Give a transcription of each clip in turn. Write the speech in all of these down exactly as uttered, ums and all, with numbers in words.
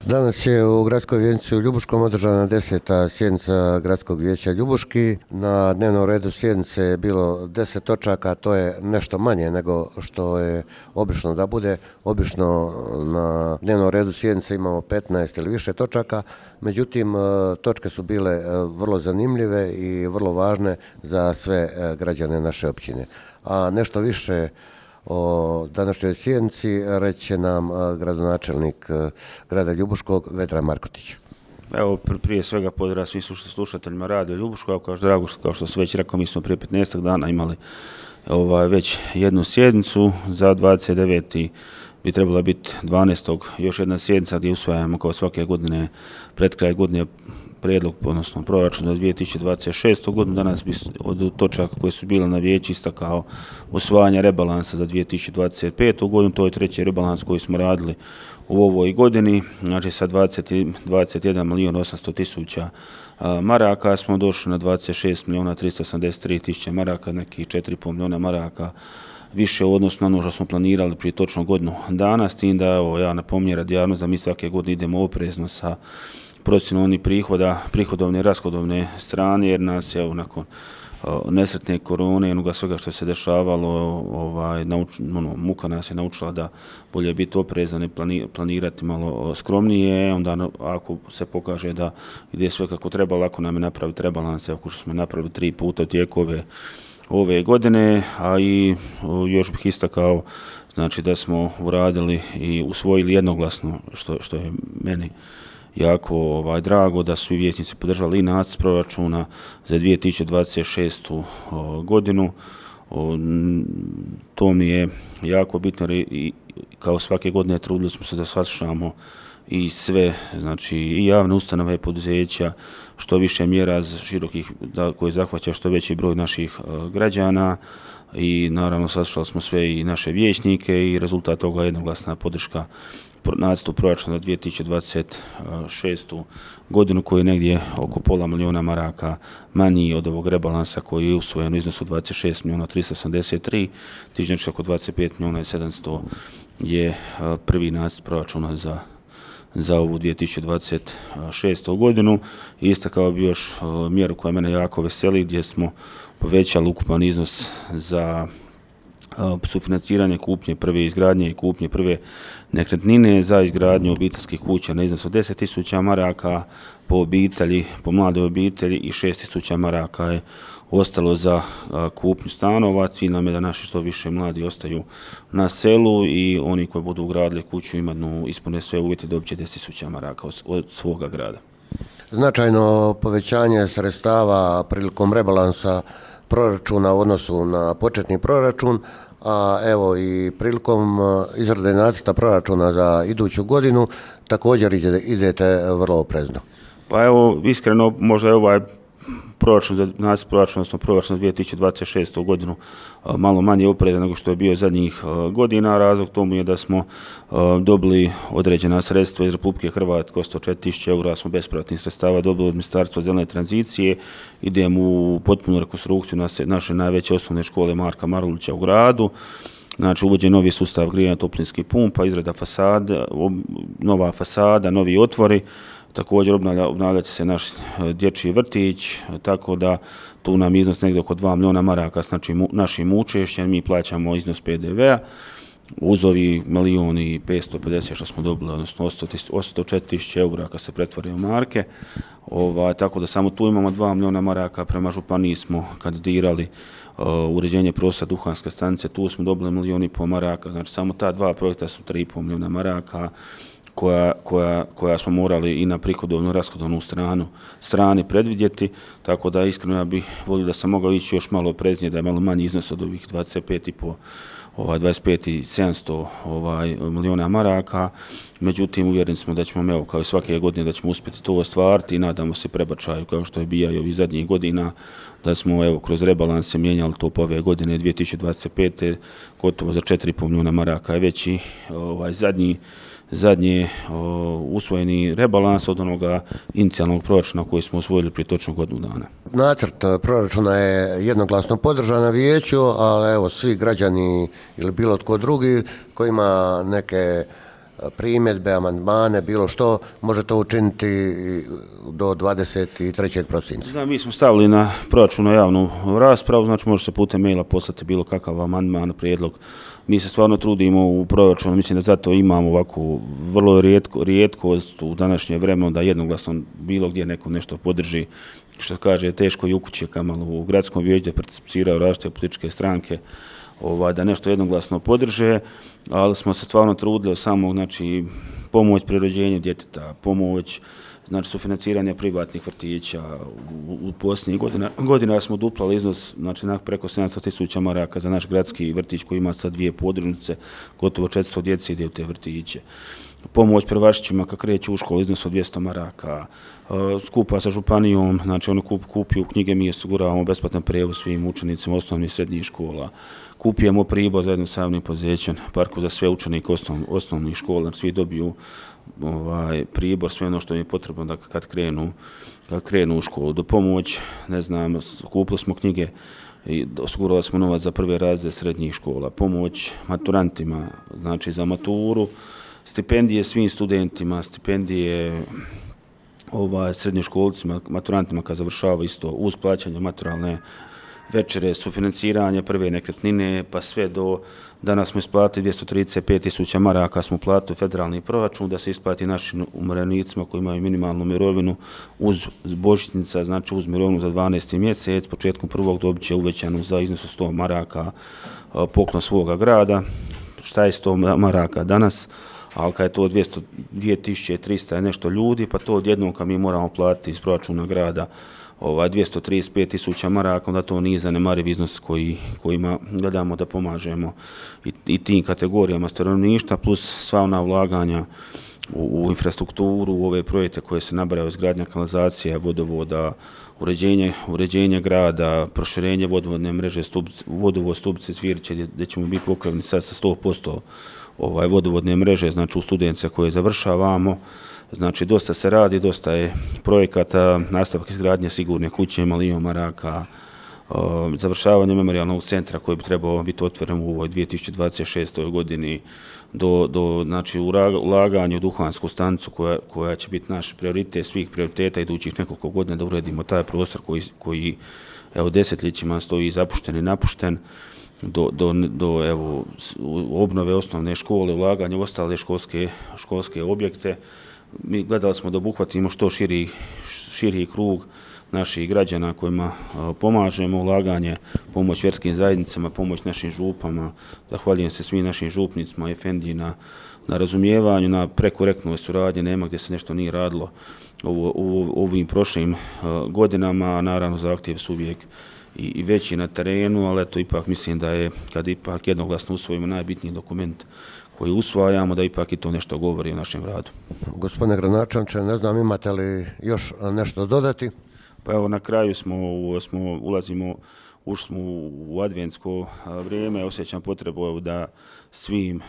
Danas je u Gradskoj vijećnici u Ljubuškom održana deseta sjednica Gradskog vijeća Ljubuški. Na dnevnom redu sjednice je bilo deset točaka, to je nešto manje nego što je obično da bude. Obično na dnevnom redu sjednice imamo petnaest ili više točaka, međutim točke su bile vrlo zanimljive i vrlo važne za sve građane naše općine. A nešto više o današnjoj sjednici reći će nam gradonačelnik grada Ljubuškog Vedran Markotić. Evo, prije svega pozdrav svih slušateljima Radio Ljubuškog. Kao što, drago, kao što su već rekao, mi smo prije petnaest dana imali ovaj, već jednu sjednicu. Za dvadeset deveti bi trebala biti dvanaestog još jedna sjednica gdje usvajamo kao svake godine pred kraj godine prijedlog, odnosno proračun za dvije tisuće dvadeset šestu godinu. Danas bi od točaka koje su bile na vijeću istakao usvajanje rebalansa za dvije tisuće dvadeset petu godinu. To je treći rebalans koji smo radili u ovoj godini. Znači sa dvadeset jedan milijun osamsto tisuća maraka smo došli na dvadeset šest milijuna tristo osamdeset tri tisuće maraka, nekih četiri i pol milijuna maraka više u odnosu na ono što smo planirali prije točno godinu dana, s tim da evo, ja napominjem radi javnosti da mi svake godine idemo oprezno sa procjenom onih prihoda, prihodovne i rashodovne strane, jer nas je nakon uh, nesretne korone i onoga svega što se dešavalo, ovaj, nauč, ono, muka nas je naučila da bolje biti oprezan i plani, planirati malo skromnije. Onda ako se pokaže da ide sve kako treba, lako nam je napraviti rebalans, ako što smo napravili tri puta u tijeku ove, ove godine, a i uh, još bih istakao znači, da smo uradili i usvojili jednoglasno, što, što je meni jako ovaj, drago, da su i vijećnici podržali i nacrt proračuna za dvije tisuće dvadeset šestu o, godinu. O, to mi je jako bitno i kao svake godine trudili smo se da saslušamo i sve, znači i javne ustanove i poduzeća, što više mjera širokih da, koje zahvaća što veći broj naših o, građana. I naravno saslušali smo sve i naše vijećnike i rezultat toga je jednoglasna podrška nacrtu proračuna za dvije tisuće dvadeset šestu godinu, koji je negdje oko pola milijuna maraka manji od ovog rebalansa koji je usvojen u iznosu dvadeset šest milijuna tristo osamdeset tri tisuće, znači oko dvadeset pet milijuna sedamsto je prvi nacrt proračuna za za ovu dvije tisuće dvadeset šestu godinu. I istakao bi još mjeru koja mene jako veseli, gdje smo povećali ukupan iznos za sufinanciranje kupnje prve izgradnje i kupnje prve nekretnine za izgradnju obiteljskih kuća na iznos od deset tisuća maraka po obitelji, po mladoj obitelji, i šest tisuća maraka je ostalo za kupnju stanova. Cilj nam je da naši što više mladi ostaju na selu i oni koji budu ugradili kuću imaju ispune sve uvjete dobit će deset tisuća maraka od svoga grada. Značajno povećanje sredstava prilikom rebalansa proračuna u odnosu na početni proračun, a evo i prilikom izrade nacrta proračuna za iduću godinu također idete vrlo oprezno. Pa evo, iskreno, možda je ovaj proračun za nacrt proračuna, odnosno proračun za dvije tisuće dvadeset šestu godinu malo manje oprezan nego što je bio zadnjih godina. Razlog tomu je da smo dobili određena sredstva iz Republike Hrvatske, sto četiri tisuće eura smo bespovratnih sredstava dobili od Ministarstva zelene tranzicije. Idemo u potpunu rekonstrukciju naše najveće osnovne škole Marka Marulića u gradu. Znači, uvođenje novi sustav grijanja toplinskih pumpa, izrada fasada, nova fasada, novi otvori. Također obnavlja, obnavlja će se naš dječji vrtić, tako da tu nam iznos negdje oko dva milijuna maraka s našim, našim učešćem. Mi plaćamo iznos pe de vea uz ovi milijun i petsto pedeset što smo dobili, odnosno sto četiri tisuće eura kad se pretvore u marke. Ova, tako da samo tu imamo dva milijuna maraka. Prema županiji smo kandidirali uh, uređenje prostora duhanske stanice, tu smo dobili milijun i pol maraka. Znači samo ta dva projekta su tri i pol milijuna maraka. Koja, koja, koja smo morali i na prihodovnu i rashodovnu stranu strani predvidjeti, tako da iskreno ja bih volio da sam mogao ići još malo opreznije, da je malo manji iznos od ovih dvadeset pet i pol, ovaj, dvadeset pet i sedamsto ovaj, milijuna maraka. Međutim, uvjereni smo da ćemo, evo, kao i svake godine, da ćemo uspjeti to ostvariti i nadamo se prebačaju, kao što je bija i ovih zadnjih godina, da smo, evo, kroz rebalanse mijenjali to po ove godine dvije tisuće dvadeset pete gotovo za četiri i pol milijuna maraka je veći ovaj, zadnji zadnji usvojeni rebalans od onoga inicijalnog proračuna koji smo usvojili prije točno godinu dana. Nacrt proračuna je jednoglasno podržan na vijeću, ali evo svi građani ili bilo tko drugi koji ima neke primjedbe, amandmane, bilo što, može to učiniti do dvadeset trećeg prosinca. Da, mi smo stavili na proračun na javnu raspravu, znači može se putem maila poslati bilo kakav amandman, prijedlog. Mi se stvarno trudimo u proračunu, mislim da zato imamo ovako vrlo rijetko, rijetkost u današnje vremenu da jednoglasno bilo gdje neko nešto podrži. Što kaže, teško i u kući, kamalo u gradskom vijeću da participiraju različite političke stranke, ovaj, da nešto jednoglasno podrže, ali smo se stvarno trudili samo, znači, pomoć pri rođenju djeteta, pomoć, znači, sufinanciranje privatnih vrtića. U, u posljednjih godina, godina smo duplali iznos, znači, preko sedamsto tisuća maraka za naš gradski vrtić koji ima sad dvije podružnice, gotovo četiristo djece ide u te vrtiće. Pomoć prvašićima kad kreću u školu iznos od dvjesto maraka, skupa sa županijom, znači ono kup, kupiju knjige, mi osiguravamo besplatan prijevoz svim učenicima osnovnih i srednjih škola, kupujemo pribor zajedno sa javnim poduzećem, parku za sve učenike osnov, osnovnih škola, znači svi dobiju ovaj, pribor, sve ono što im je potrebno da kad krenu, kad krenu u školu. Do pomoć, ne znam, kupili smo knjige i osigurali smo novac za prve razrede srednjih škola, pomoć maturantima, znači za maturu, stipendije svim studentima, stipendije ovaj, srednjoškolcima, maturantima kad završavaju isto uz plaćanje maturalne večere, sufinanciranje prve nekretnine, pa sve do danas smo isplatili dvjesto trideset pet tisuća maraka, smo platili federalni proračun da se isplati našim umirovljenicima koji imaju minimalnu mirovinu uz božićnica, znači uz mirovinu za dvanaesti mjesec, početkom prvog dobit će uvećanu za iznos od sto maraka poklon svoga grada. Šta je sto maraka danas? Ali kad je to dvjesto, dvije tisuće trista je nešto ljudi, pa to odjednom kad mi moramo platiti iz proračuna grada ovaj, dvjesto trideset pet tisuća maraka, onda to nije zanemariv iznos koji, kojima gledamo da pomažemo i, i tim kategorijama stanovništva, plus sva ona ulaganja u, u infrastrukturu, u ove projekte koje se nabrajaju, izgradnja kanalizacija, vodovoda, uređenje, uređenje grada, proširenje vodovodne mreže, Stubice, vodovod Stubice Cviriće, gdje, gdje ćemo biti pokriveni sad sa sto posto ovaj, vodovodne mreže, znači u Studence koje završavamo. Znači, dosta se radi, dosta je projekata, nastavak izgradnje sigurne kuće, milijon maraka, završavanje memorijalnog centra koji bi trebao biti otvoren u ovoj dvije tisuće dvadeset šestoj godini, do, do znači, ulaganja u duhansku stanicu koja, koja će biti naš prioritet svih prioriteta idućih nekoliko godina da uredimo taj prostor koji, koji evo, desetljećima stoji zapušten i napušten, do, do, do evo, obnove osnovne škole, ulaganja u ostale školske, školske objekte. Mi gledali smo da obuhvatimo što širi, širi krug naših građana kojima pomažemo, ulaganje, pomoć vjerskim zajednicama, pomoć našim župama. Zahvaljujem se svim našim župnicima i efendiji na, na razumijevanju, na prekorektnoj suradnji, nema gdje se nešto nije radilo u, u, u ovim prošlim godinama, naravno zahtjev su uvijek i, i veći na terenu, ali eto ipak mislim da je, kad ipak jednoglasno usvojimo najbitniji dokument koji usvajamo, da ipak i to nešto govori o našem radu. Gospodine gradonačelniče, ne znam imate li još nešto dodati? Pa evo na kraju smo, smo ulazimo, ušli smo u adventsko vrijeme, osjećam potrebu da svim,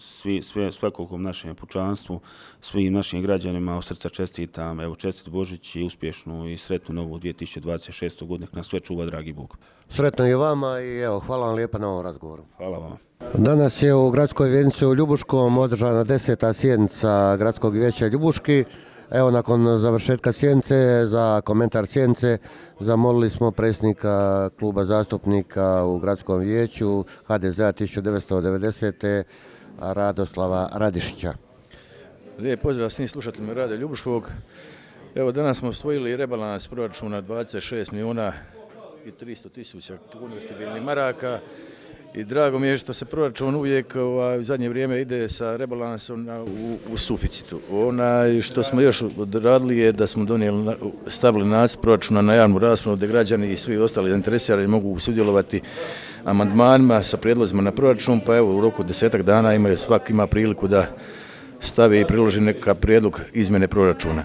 svi, sve, svakolikom našem pučanstvu, svim našim građanima od srca čestitam, evo čestit Božić i uspješnu i sretnu novu dvije tisuće dvadeset šestu godinu, nas sve čuva dragi Bog. Sretno i vama i evo, hvala vam lijepa na ovom razgovoru. Hvala vama. Danas je u gradskoj vijećnici u Ljubuškom održana deseta sjednica gradskog vijeća Ljubuški. Evo, nakon završetka sjednice, za komentar sjednice zamolili smo predsjednika kluba zastupnika u gradskom vijeću ha de zea tisuću devetsto devedesete. Radoslava Radišića. Lijep pozdrav svim slušateljima Radio Ljubuškog. Evo, danas smo usvojili rebalans proračuna dvadeset šest milijuna i tristo tisuća konvertibilnih maraka. I drago mi je što se proračun uvijek ovaj, u zadnje vrijeme ide sa rebalansom na, u, u suficitu. Ona, što smo još odradili je da smo donijeli, stavili nacrt proračuna na javnu raspravu gdje građani i svi ostali zainteresirani mogu sudjelovati amandmanima sa prijedlozima na proračun, pa evo u roku desetak dana ima, svak ima priliku da stavi i priloži neka prijedlog izmjene proračuna.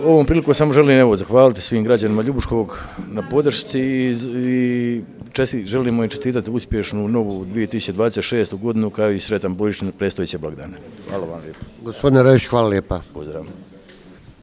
Ovom priliku samo želim evo, zahvaliti svim građanima Ljubuškog na podršci i, i česti, želimo im čestitati uspješnu novu dvije tisuće dvadeset šestu godinu kao i sretan Božić na predstojeće blagdane. Hvala vam lijepo. Gospodine Rešić, hvala lijepa. Pozdrav.